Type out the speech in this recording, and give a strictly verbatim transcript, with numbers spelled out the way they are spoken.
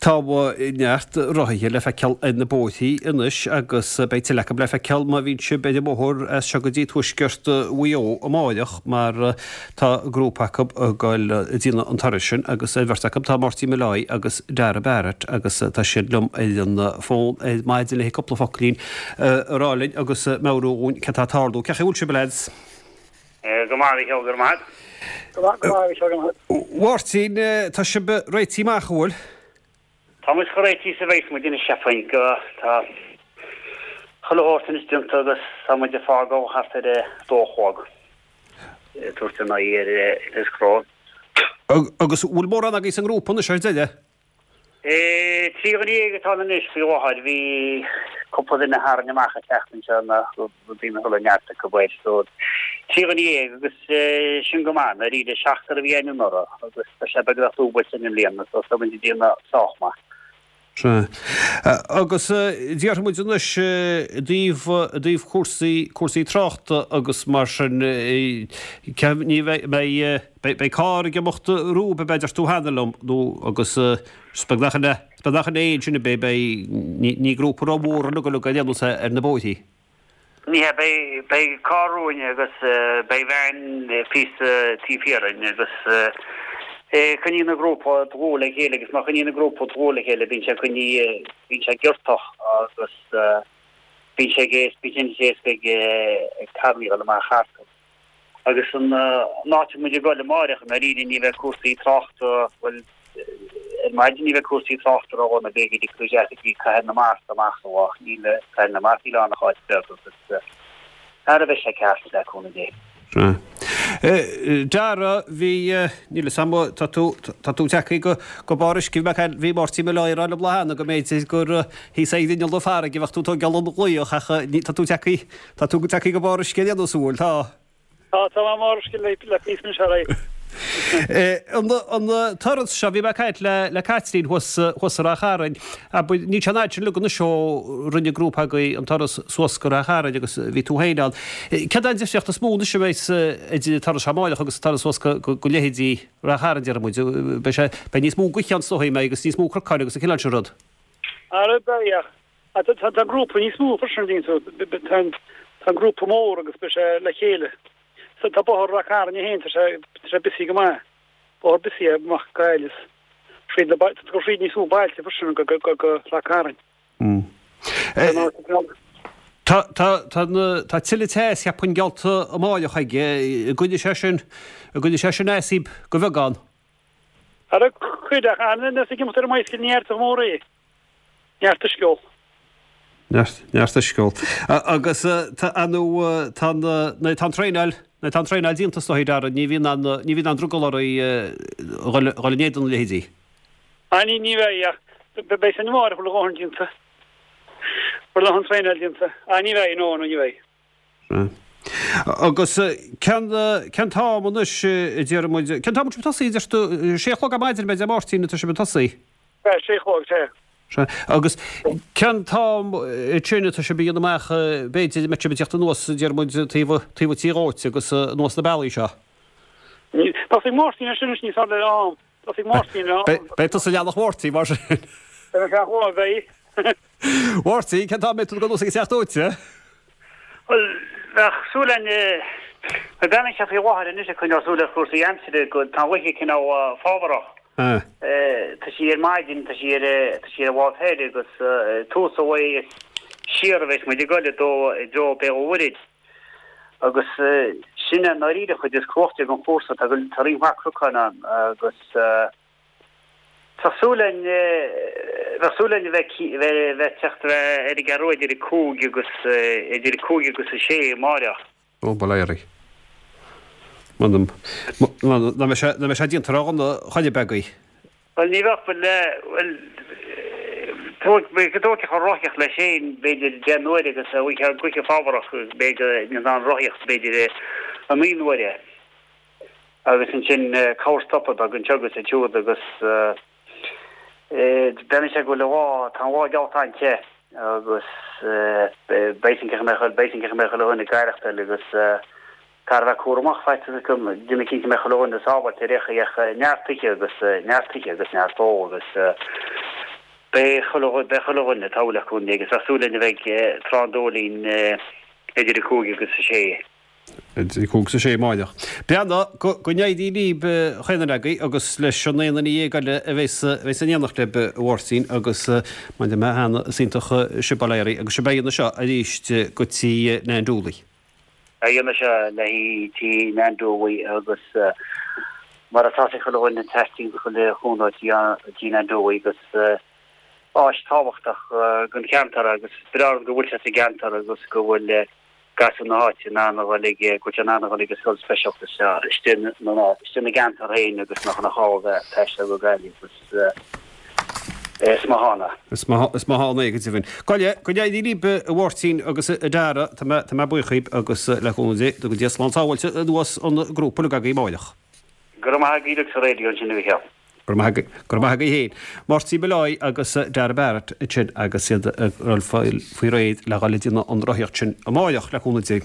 Tá neart rothaithe le feiceáil ar na bóithrí anois agus beidh tuilleadh acu le feiceáil má bhíonn sibh ar an mbóthar as seo go dtí tuaisceart Mhaigh Eo amáireach mar tá grúpa acu ag goil ag déanamh an turais sin agus ar bheirt acu tá Máirtín Molloy agus Dara Barrett agus tá siad liom ar an bhfón ar maidin le cúpla focailín a rá linn agus meabhrú dhúinn cad tá ag tarlú. Cén chaoi a bhfuil sibh a lads? Go maith, a Mhichíl, go raibh maith. Go maith, go maith, a Mhichíl, go maith. Mháirtín, tá sibh réitithe amach, an bhfuil? Tá muid chomh réitithe is a bheas muid anois, cheapfainn, go, tá chuile shórt anois déanta agus tá muid ag fágáil thart ar a dó a chlog, ag tabhairt ár n-aghaidh ar Inis Cró. Agus an bhfuil mórán agaibh sa ngrúpa anois ar deireadh? Trí dhuine dhéag atá ann anois faoi láthair. Bhí cúpla duine a tharraing amach an tseachtain seo nach raibh daoine a thuilleadh neart acu air. So, trí dhuine dhéag agus sin go maith. Ndáiríre, seachtar a bhí againn anuraidh agus tá sé beagnach dúbailte i mbliana so tá muid ag déanamh sách maith. Sea. Agus déarfaidh muid anois i dtaobh, i dtaobh cúrsaí, cúrsaí tráchta agus mar sin, ní bheidh, beidh, beidh carr ag imeacht romhaibh ab ea, a deir tú cheana liom, nó agus is beag nach in é, is beag nach in é ansin ab é, beidh, ní, ní grúpa rómhór ag goil ar aon nós ar na bóithrí. Ní hea, beidh, beidh carr romhainn agus beidh veain píosa taobh thiar dhínn agus coinníonn an grúpa dlúth le chéile agus má choinníonn an grúpa dlúth le chéile bíonn sé coinnithe, bíonn sé giortach agus bíonn sé ag, bíonn sé éasca ag, ag carrannaí a dhul amach thart. Agus an áit a bhfuil muid ag dul amáireach, i ndáiríre, ní bheidh cúrsaí tráchta, bhuel, ar maidin ní bheidh cúrsaí tráchta ródhona, beidh go dtiocfaidh tú isteach go dtí Cathair na Mart amach sa lá, níl Cathair na Mart, níl ann ach áit bheag agus ara beidh sé ceart, le cúnamh Dé. Sea. Dara, bhí, níl 'fhios a'm, tá tú, tá tú tagtha go, go barr uisce, bhí mé ag, bhí Máirtín Molloy ag rá liom lá cheana go mb'fhéidir gur thíos ag inneall na farraige a bheadh tú ag tógáil an ghlaoch ach ní, tá tú tagtha, tá tú tagtha go barr uisce ar aon nós, an bhfuil? Tá. Tá, tá mé i mbarr uisce le le píosa anois ar aghaidh. An an turas seo, bhí mé ag caint le le Caitlín thuas thuas i Ráth Chairn, abair, níl sé an fhad sin uilig anois ó rinne grúpa agaibh an turas suas go Ráth Chairn agus bhí tú féin ann. Céard é an difríocht is mó anois a bheas idir an turas seo amáireach agus an turas suas go go leithéidí Ráth Chairn, déarfaidh muid. Beidh sé, beidh níos mó gaoithe ann is dóigh, an mbeidh, agus níos mó cnocáin agus an cineál sin rud. Ara beidh, ach tá an grúpa níos mó freisin, an dtuigeann tú. Tá an grúpa mór agus beidh sé le chéile. So tá bóthar Ráth Chairn é féin, tá sé tá sé busy go maith. Bóthar busy é amach go Gaillimh. Fríd na tá go fríd níos mó bailte freisin go go go go Ráth Chairn. Tá tá tá na tá tuilleadh teas cheapfainn geallta amáireach aige, an gcoinneoidh sé sin an gcoinneoidh sé sin as sibh go bheagán. Ara cuid ach an-nós ag imeacht ar an mbicycle ní fheartach mór é. Neart uisce a ól. Neart, neart uisce a ól. Agus tá, nó tá an, nó tá an traenáil, nó tá an traenáil déanta is dóigh, Dara, ní bhíonn an, ní bhíonn an drogall oraibh a dhul, a dhul in éadan a leithéidí. Ah, ní, ní bheidh ach beidh san amárach bhfuil a dhóthain déanta. Bhfuil a dhóthain traenáil déanta. Ah, ní bheidh, no, no, ní bheidh. Agus cén, cén t-am anois a déarfaidh muid, cén t-am a bhfuil sibh ag tosaí, a deir tú, sé a chlog ar maidin, ab ea, a Mháirtín, atá sibh ag tosaí? Sea, sé a chlog, sea. Sea. Agus cén t-am sin atá sibh ag déanamh amach, b'fhéidir, a mbeidh sibh ag teacht anuas, deir muid, taobh, taobh an tí dhóite agus anuas na bealaí seo? Tá ag Máirtín ar sin anois níos fearr le am. Tá ag Máirtín le am. Beidh tusa i leathnach Mháirtín, mar sin. Beidh mé feadh lá, beidh. Mháirtín, cén t-am a mbeidh tú ag dul anuas ag an teach dóite? Bhuel, bheadh súil againn, bhuel, bheadh sé faoi láthair anois ag coinneáil súil ar chúrsaí aimsire go, tá an ghaoth cineál fábharach. Tá sí ar maidin, tá sí ar, tá sí ar an lámh thoir agus tús an lae is siar a bheas muid ag goil i dtreo, i dtreo Béal an Mhuirthead. Agus sin é i ndáiríre an chuid is cumhachtaí den chúrsa, tá, tá roinnt mhaith cnocáin ann agus, Tá súil againn, bheadh súil againn a bheith, bheith ag teacht ar an gCeathrú Rua idir a cúig agus, idir a cúig agus a sé amáireach. Ó, bail ó Dhia oraibh. M'anam, nach mbeidh sé, nach mbeidh sé déanta ródhona chor ar bith agaibh. Bhuel, ní bheadh, bhuel, bhuel, tóg, tógfaidh an rothaíocht leis féin, b'fhéidir deich n-uaire agus an ghaoth fábharach, b'fhéidir, in ann rothaíocht, b'fhéidir a naoi n-uaire. Agus ansin corrstopadh beag anseo agus ansiúd agus bhreathnaigh sé go bhfuil an lá, tá an lá geallta an-te agus beidh sin cé go mbeidh, beidh sin cé go mbeidh chuile dhuine ag aireachtáil agus caithfear a bheith cúramach, faitíos acu, déanamh cinnte go mbeidh chuile dhuine sábháilte ar aon chaoi ach neart ithe agus neart ithe agus neart ól agus Beidh chuile beidh chuile dhuine tá le cúnamh agus tá súil linn a bheidh tráth an Dóilín idir a cúig agus a sé. Idir a cúig agus a sé amárach. Breathnaigh go go n-éirí libh chaon duine agaibh agus leis an aon duine dhéag eile a bheas a bheas in éineacht libh a Mháirtín agus mar a deir mé cheana is iontach sibh bail ó Dhia oraibh agus sibh ag déanamh seo arís go tí Nan Dooley. Ag déanamh seo le haghaidh tí Nan Dooley agus mar atá sé chuile dhuine teastaíonn chuile chúnamh tí Nan Dooley agus áis tábhachtach don cheantar agus breá go bhfuil sé sa gceantar agus go bhfuil gasúir na háite in ann a dhul ag go bhfuil sé in ann a dhul ag an scoil speisialta seo istigh na istigh na gceantar féin agus nach nach gá bheith taisteal go Gaillimh agus is maith ann é. Is maith is maith ann é go deimhin. Go go n-éirí libh a Mháirtín agus a Dara tá mé tá mé buíoch díbh agus le cúnamh Dé go dté slán sábháilte anuas an grúpa uilig agaibh amárach. Go raibh maith agaibh sa raidió ansin a Mhichíl. Go raibh maith agaibh féin. Máirtín Molloy agus Dara Barrett ansin agus iad ag dul faoi réir le dhul ag déanamh an rothaíocht sin amárach le cúnamh Dé.